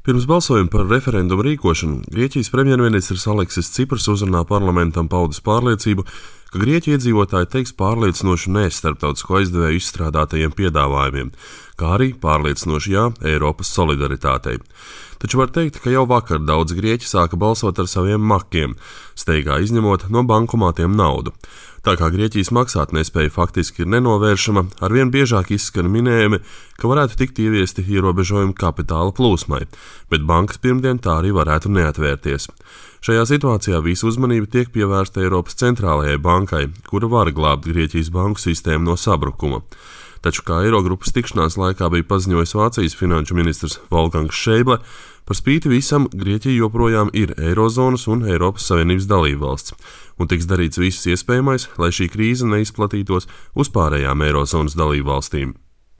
Pirms balsojuma par referendumu rīkošanu Grieķijas premjerministrs Aleksis Cipras uzrunā parlamentam paudis pārliecību, ka Grieķu iedzīvotāji teiks pārliecinošu nē starptautisko aizdevēju izstrādātajiem piedāvājumiem, kā arī pārliecinošu jā Eiropas solidaritātei. Taču var teikt, ka jau vakar daudz grieķi sāka balsot ar saviem makiem, steigā izņemot no bankomātiem naudu. Tā kā Grieķijas maksātnespēja faktiski ir nenovēršama, arvien biežāk izskan minējumi, ka varētu tikt ieviesti ierobežojumi kapitāla plūsmai, bet bankas pirmdien tā arī varētu neatvērties. Šajā situācijā visu uzmanību tiek pievērsta Eiropas centrālajai bankai, kura var glābt Grieķijas banku sistēmu no sabrukuma. Taču, kā Eirogrupas tikšanās laikā bija paziņojis Vācijas finanšu ministrs Wolfgangs Schäuble, par spīti visam Grieķija joprojām ir Eirozonas un Eiropas Savienības dalībvalsts, un tiks darīts viss iespējamais, lai šī krīze neizplatītos uz pārējām Eirozonas dalībvalstīm.